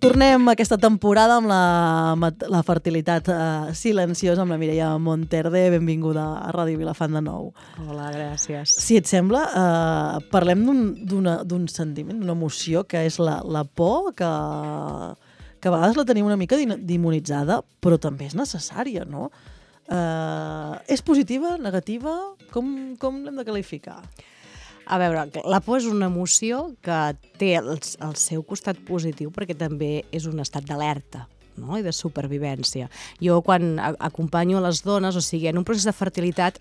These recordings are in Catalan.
Tornem aquesta temporada amb la fertilitat silenciosa amb la Mireia Monterde. Benvinguda a Ràdio Vilafant de nou. Hola, gràcies. Si et sembla, parlem d'un sentiment, d'una emoció que és la por, que a vegades la tenim una mica demonitzada, però també és necessària, no? És positiva, negativa? Com l'hem de qualificar? A veure, la por és una emoció que té el seu costat positiu perquè també és un estat d'alerta, no? I de supervivència. Jo quan acompanyo a les dones, o sigui, en un procés de fertilitat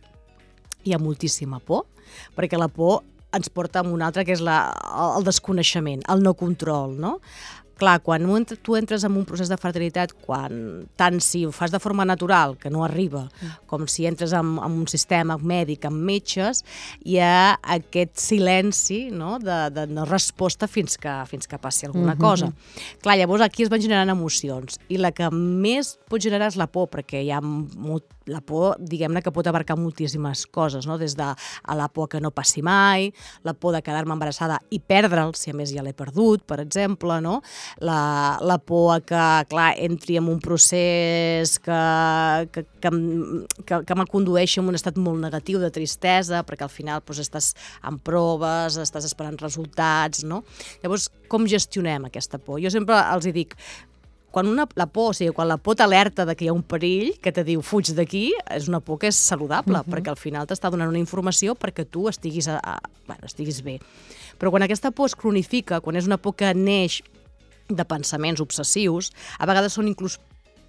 hi ha moltíssima por, perquè la por ens porta a un altre que és el desconeixement, el no control, no? Clar, quan tu entres en un procés de fertilitat, tant si ho fas de forma natural, que no arriba, com si entres en un sistema mèdic, amb metges, hi ha aquest silenci, no? de no resposta fins que passi alguna cosa. Clar, llavors aquí es van generant emocions, i la que més pot generar és la por, perquè hi ha la por, diguem-ne, que pot abarcar moltíssimes coses, no? Des de la por que no passi mai, la por de quedar-me embarassada i perdre'l, si a més ja l'he perdut, per exemple, no? La por que, clar, entri en un procés que me condueixi en un estat molt negatiu de tristesa, perquè al final doncs, estàs en proves, estàs esperant resultats, no? Llavors, com gestionem aquesta por? Jo sempre els dic, quan la por t'alerta que hi ha un perill, que te diu fuig d'aquí, és una por que és saludable, perquè al final t'està donant una informació perquè tu estiguis bé. Però quan aquesta por es cronifica, quan és una por que neix de pensaments obsessius, a vegades són inclús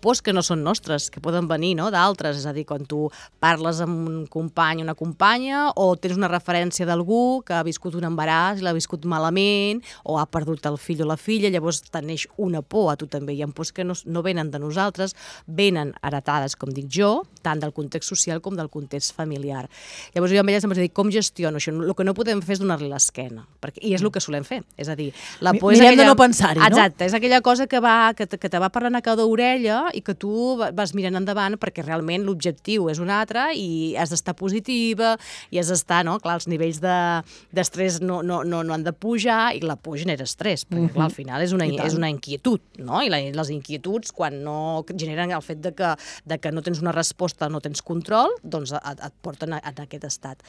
pors que no són nostres, que poden venir, no? D'altres, és a dir, quan tu parles amb un company o una companya o tens una referència d'algú que ha viscut un embaràs i l'ha viscut malament o ha perdut el fill o la filla, llavors te neix una por a tu també. Hi ha pors que no venen de nosaltres, venen heretades, com dic jo, tant del context social com del context familiar. Llavors jo amb ella sempre dic, com gestiono això? El que no podem fer és donar-li l'esquena, i és el que solem fer. És a dir, la por és aquella... Mirem de no pensar-hi, no? Exacte, és aquella cosa que te va parlant a cada orella i que tu vas mirant endavant perquè realment l'objectiu és un altre i has d'estar positiva i has d'estar, no? Clar, els nivells d'estrès no han de pujar i la por genera estrès, perquè clar, al final és una inquietud, no? I les inquietuds, quan no generen el fet de que no tens una resposta, no tens control, doncs et porten a aquest estat.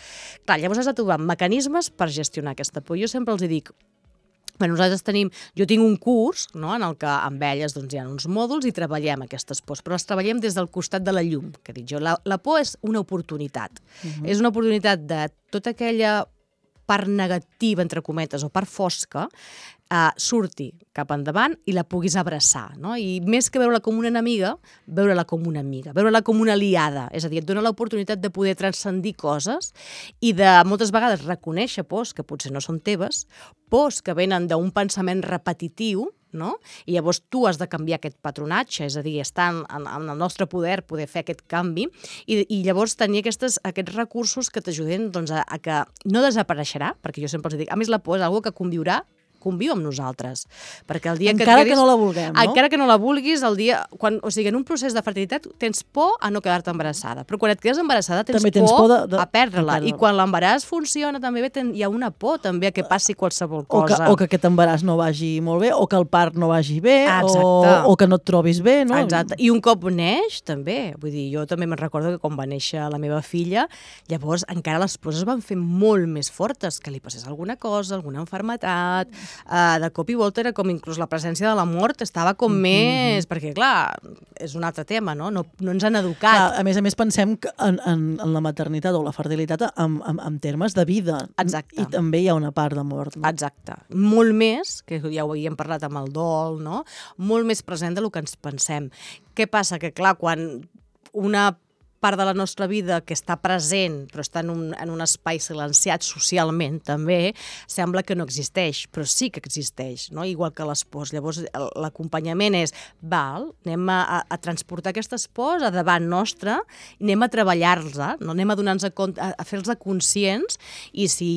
Clar, llavors has de trobar mecanismes per gestionar aquesta por. Jo sempre els dic, jo tinc un curs, no, en el que amb elles hi ha uns mòduls i treballem aquestes pors, però les treballem des del costat de la llum, que dic jo. La por és una oportunitat. És una oportunitat de tota aquella part negativa, entre cometes, o part fosca, surti cap endavant i la puguis abraçar, no? I més que veure-la com una enemiga, veure-la com una amiga, veure-la com una aliada, és a dir, et dona l'oportunitat de poder transcendir coses i de moltes vegades reconèixer pors que potser no són teves, pors que venen d'un pensament repetitiu, no? I llavors tu has de canviar aquest patronatge, és a dir, està en el nostre poder fer aquest canvi i llavors tenir aquests recursos que t'ajuden a que no desapareixerà, perquè jo sempre els dic, a més la por és una cosa que conviu amb nosaltres. Perquè el dia encara que no la vulguem, no? Encara que no la vulguis, o sigui, en un procés de fertilitat tens por a no quedar-te embarassada, però quan et quedes embarassada tens por a perdre-la, i quan l'embaràs funciona també bé, hi ha una por també a que passi qualsevol cosa. O que aquest embaràs no vagi molt bé, o que el part no vagi bé, o que no et trobis bé, no? Exacte, i un cop neix també, vull dir, jo també me'n recordo que quan va néixer la meva filla, llavors encara les pors es van fer molt més fortes, que li passés alguna cosa, alguna malaltia, de cop i volta era com inclús la presència de la mort estava com més... Perquè, clar, és un altre tema, no? No ens han educat. A més pensem en la maternitat o la fertilitat en termes de vida. Exacte. I també hi ha una part de mort. No? Exacte. Molt més, que ja ho havíem parlat amb el dol, no? Molt més present del que ens pensem. Què passa? Que, clar, quan una part de la nostra vida que està present, però està en un espai silenciat socialment també, sembla que no existeix, però sí que existeix, no? Igual que les pors. Llavors l'acompanyament és, anem a transportar aquestes pors a davant nostre, anem a treballar-les, no? Anem a donar-nos compte, a fer-los conscients, i si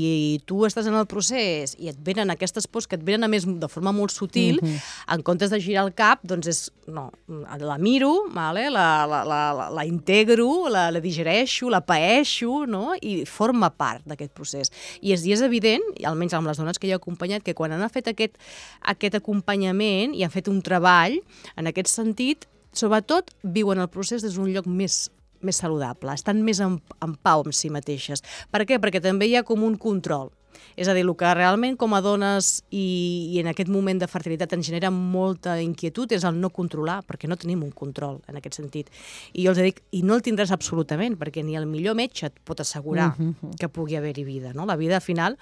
tu estàs en el procés i et venen aquestes pors que et venen a més de forma molt sutil, en comptes de girar el cap, doncs és, no, la miro, la integro, la digereixo, la paeixo, no? I forma part d'aquest procés. I és evident, almenys amb les dones que jo he acompanyat, que quan han fet aquest acompanyament i han fet un treball en aquest sentit, sobretot viuen el procés des d'un lloc més saludable, estan més en pau amb si mateixes. Per què? Perquè també hi ha com un control. És a dir, el que realment com a dones i en aquest moment de fertilitat ens genera molta inquietud és el no controlar, perquè no tenim un control en aquest sentit. I jo els dic, i no el tindràs absolutament, perquè ni el millor metge et pot assegurar que pugui haver-hi vida, no? La vida, al final...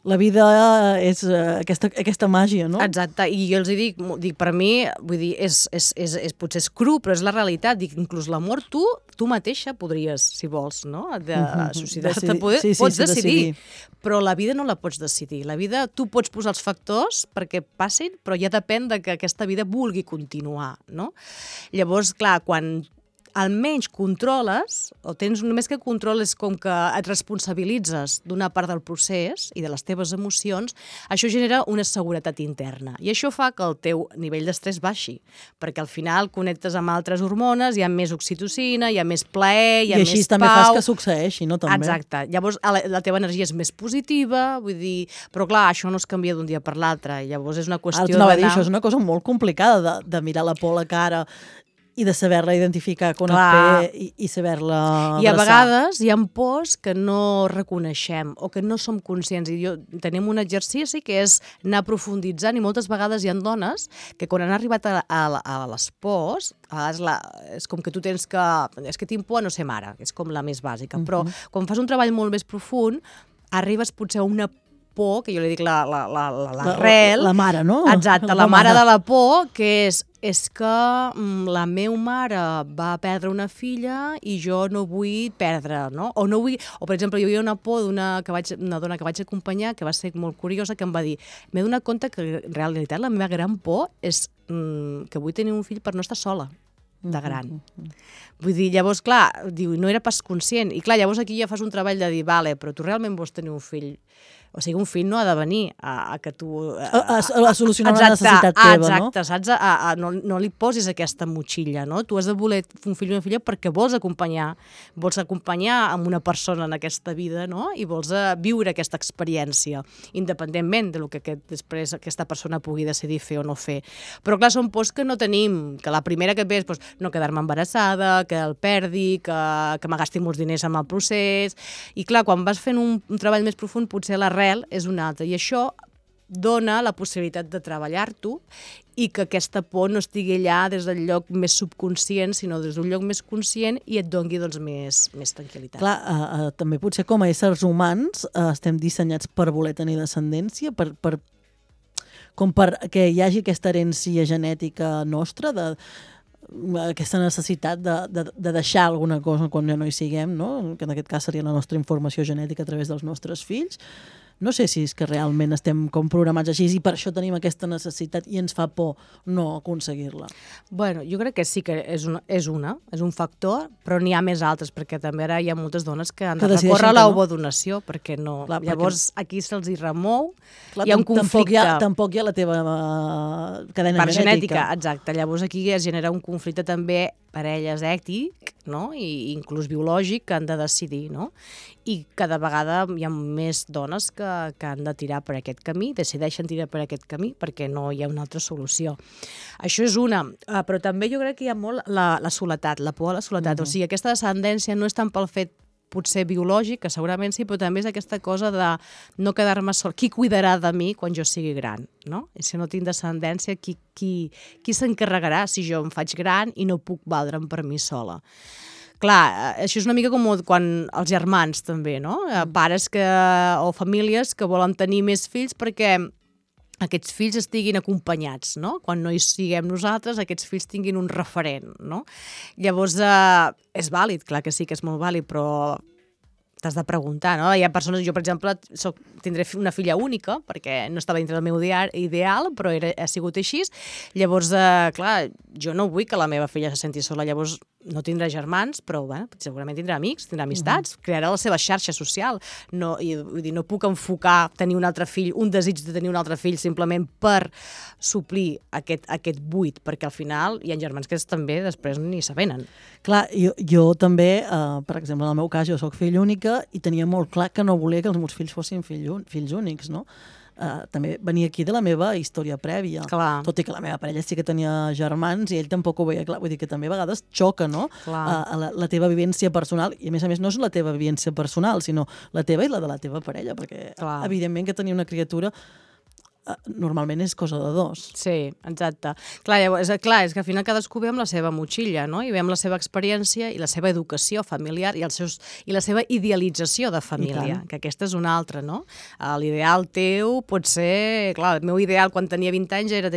La vida és aquesta màgia, no? Exacte, i jo els dic, per mi, vull dir, potser és cru, però és la realitat. Dic, inclús l'amor, tu mateixa podries, si vols, no? Pots decidir, però la vida no la pots decidir. La vida, tu pots posar els factors perquè passin, però ja depèn de que aquesta vida vulgui continuar, no? Llavors, clar, quan almenys controles, o tens només que controles com que et responsabilitzes d'una part del procés i de les teves emocions, això genera una seguretat interna. I això fa que el teu nivell d'estrès baixi, perquè al final connectes amb altres hormones, hi ha més oxitocina, hi ha més plaer, hi ha més pau... I així també fas que succeeixi, no? També. Exacte. Llavors la teva energia és més positiva, vull dir... Però clar, això no es canvia d'un dia per l'altre. Llavors és una qüestió d'anar... Això és una cosa molt complicada, de mirar la por a la cara i de saber-la identificar quan et ve i saber-la abraçar. I a vegades hi ha pors que no reconeixem o que no som conscients. I tenim un exercici que és anar profunditzant i moltes vegades hi ha dones que quan han arribat a les pors, és com que tu tens que... És que tinc por a no ser mare, que és com la més bàsica. Però quan fas un treball molt més profund, arribes potser a una por, que jo li dic l'arrel... La mare, no? Exacte, la mare de la por, que és que la meva mare va perdre una filla i jo no vull perdre, no? O per exemple, hi havia una por d'una dona que vaig acompanyar que va ser molt curiosa, que em va dir, m'he donat compte que en realitat la meva gran por és que vull tenir un fill per no estar sola de gran. Vull dir, llavors, clar, diu, no era pas conscient. I clar, llavors aquí ja fas un treball de dir, vale, però tu realment vols tenir un fill? O sigui, un fill no ha de venir a que tu... A solucionar una necessitat teva, no? Exacte, saps? No li posis aquesta motxilla, no? Tu has de voler un fill o una filla perquè vols acompanyar amb una persona en aquesta vida, no? I vols viure aquesta experiència, independentment de lo que després aquesta persona pugui decidir fer o no fer. Però clar, són pors que no tenim, que la primera que et ve és no quedar-me embarassada, que el perdi, que me gasti molts diners amb el procés... I clar, quan vas fent un treball més profund, potser l'arrel és una altra, i això dona la possibilitat de treballar-t'ho i que aquesta por no estigui allà des del lloc més subconscient, sinó des d'un lloc més conscient i et doni doncs, més tranquil·litat. Clar, també potser com a éssers humans estem dissenyats per voler tenir descendència, com per que hi hagi aquesta herència genètica nostra, aquesta necessitat de deixar alguna cosa quan ja no hi siguem, no? Que en aquest cas seria la nostra informació genètica a través dels nostres fills. No sé si és que realment estem com programats així i per això tenim aquesta necessitat i ens fa por no aconseguir-la. Bueno, jo crec que sí que és un factor, però n'hi ha més altres, perquè també ara hi ha moltes dones que han de recórrer a l'ovodonació, perquè no. Clar, llavors aquí se'ls hi remou, hi ha un conflicte. Tampoc hi ha la teva cadena genètica. Exacte, llavors aquí es genera un conflicte també parelles ètic, no? I inclús biològic, que han de decidir, no? I cada vegada hi ha més dones que han de tirar per aquest camí, decideixen tirar per aquest camí perquè no hi ha una altra solució. Això és una, però també jo crec que hi ha molt la soledat, la por a la soledat. O sigui, aquesta descendència no és tant pel fet potser biològic, que segurament sí, però també és aquesta cosa de no quedar-me sol. Qui cuidarà de mi quan jo sigui gran, no? I si no tinc descendència, qui s'encarregarà si jo em faig gran i no puc valdre'm per mi sola? Clar, això és una mica com quan els germans també, no? Pares o famílies que volen tenir més fills perquè aquests fills estiguin acompanyats, no? Quan no hi siguem nosaltres, aquests fills tinguin un referent, no? Llavors, és vàlid, clar que sí que és molt vàlid, però t'has de preguntar, no? Hi ha persones, jo per exemple tindré una filla única, perquè no estava dintre del meu ideal, però ha sigut així. Llavors, clar, jo no vull que la meva filla se senti sola, llavors no tindrà germans, però segurament tindrà amics, tindrà amistats, crearà la seva xarxa social. No puc enfocar tenir un altre fill, un desig de tenir un altre fill simplement per suplir aquest buit, perquè al final hi ha germans que també després ni s'avenen. Clar, jo també, per exemple, en el meu cas, jo soc fill única i tenia molt clar que no volia que els meus fills fossin fills únics, no? També venia aquí de la meva història prèvia. Clar. Tot i que la meva parella sí que tenia germans i ell tampoc ho veia clar. Vull dir que també a vegades xoca, no? La teva vivència personal, i a més no és la teva vivència personal, sinó la teva i la de la teva parella, perquè evidentment que tenir una criatura normalment és cosa de dos. Sí, exacte. És que al final cadascú ve amb la seva motxilla, no? I ve amb la seva experiència i la seva educació familiar i la seva idealització de família, que aquesta és una altra, no? L'ideal teu pot ser... Clar, el meu ideal quan tenia 20 anys era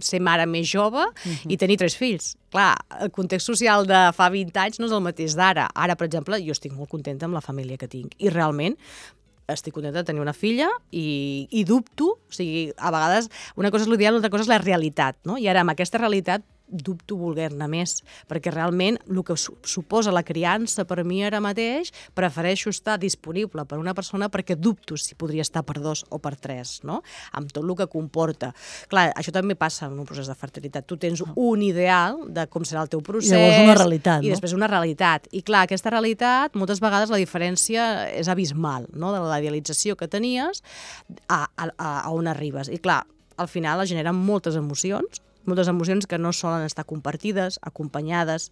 ser mare més jove i tenir 3 fills. Clar, el context social de fa 20 anys no és el mateix d'ara. Ara, per exemple, jo estic molt contenta amb la família que tinc i realment estic contenta de tenir una filla i dubto, o sigui, a vegades una cosa és l'ideal, l'altra cosa és la realitat, no? I ara amb aquesta realitat dubto voler-ne més, perquè realment el que suposa la criança per mi ara mateix, prefereixo estar disponible per una persona perquè dubto si podria estar per 2 o per 3, no? Amb tot el que comporta. Clar, això també passa en un procés de fertilitat. Tu tens un ideal de com serà el teu procés... I llavors una realitat, no? I després una realitat. I clar, aquesta realitat, moltes vegades la diferència és abismal, no? De la idealització que tenies a on arribes. I clar, al final es generen moltes emocions que no solen estar compartides, acompanyades,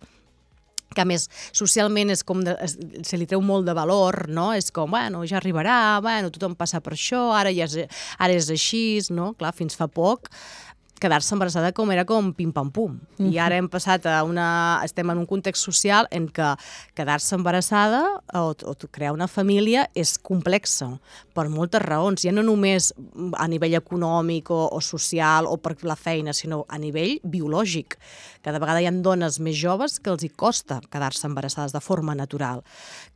que a més socialment és com se li treu molt de valor, no? És com, bueno, ja arribarà, bueno, tothom passa per això, ara és així, no? Clar, fins fa poc quedar-se embarassada era com pim-pam-pum. I ara estem en un context social en què quedar-se embarassada o crear una família és complexa, per moltes raons. Ja no només a nivell econòmic o social o per la feina, sinó a nivell biològic. Cada vegada hi ha dones més joves que els hi costa quedar-se embarassades de forma natural.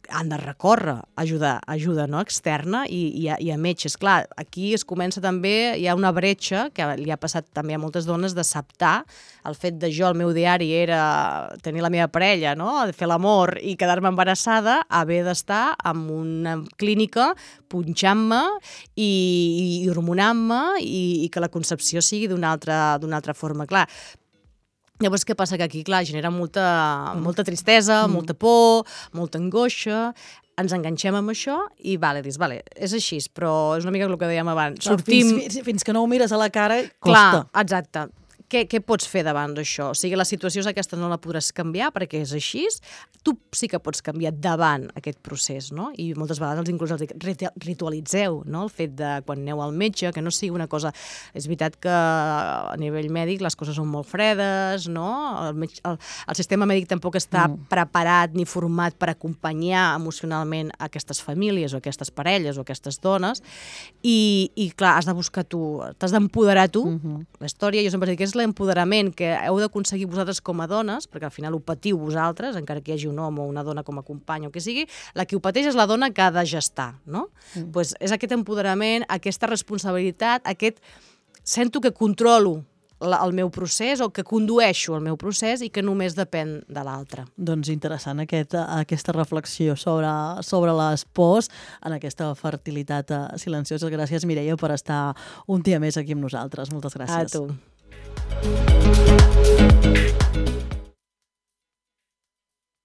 Han de recórrer ajuda no? Externa i a metges. Clar, aquí es comença també, hi ha una bretxa que li ha passat també a moltes dones d'acceptar el fet de el meu diari era tenir la meva parella, no? Fer l'amor i quedar-me embarassada, haver d'estar en una clínica punxant-me i hormonant-me i que la concepció sigui d'una altra forma. Clar, llavors, què passa? Que aquí, clar, genera molta tristesa, molta por, molta angoixa, ens enganxem amb això i dius, és així, però és una mica el que dèiem abans. Sortim... Fins que no ho mires a la cara, costa. Clar, exacte. Què pots fer davant d'això? O sigui, la situació és aquesta, no la podràs canviar perquè és així. Tu sí que pots canviar davant aquest procés, no? I moltes vegades inclús els dic, ritualitzeu, no? El fet de quan aneu al metge, que no sigui una cosa... És veritat que a nivell mèdic les coses són molt fredes, no? El sistema mèdic tampoc està preparat ni format per acompanyar emocionalment aquestes famílies o aquestes parelles o aquestes dones i clar, has de buscar tu, t'has d'empoderar tu. La història, jo sempre dic que és l'empoderament que heu d'aconseguir vosaltres com a dones, perquè al final ho patiu vosaltres, encara que hi hagi un home o una dona com a company o que sigui, la que ho pateix és la dona que ha de gestar, no? Pues és aquest empoderament, aquesta responsabilitat, sento que controlo el meu procés o que condueixo el meu procés i que només depèn de l'altre. Doncs interessant aquesta reflexió sobre les pors en aquesta fertilitat silenciosa. Gràcies, Mireia, per estar un dia més aquí amb nosaltres. Moltes gràcies. A tu.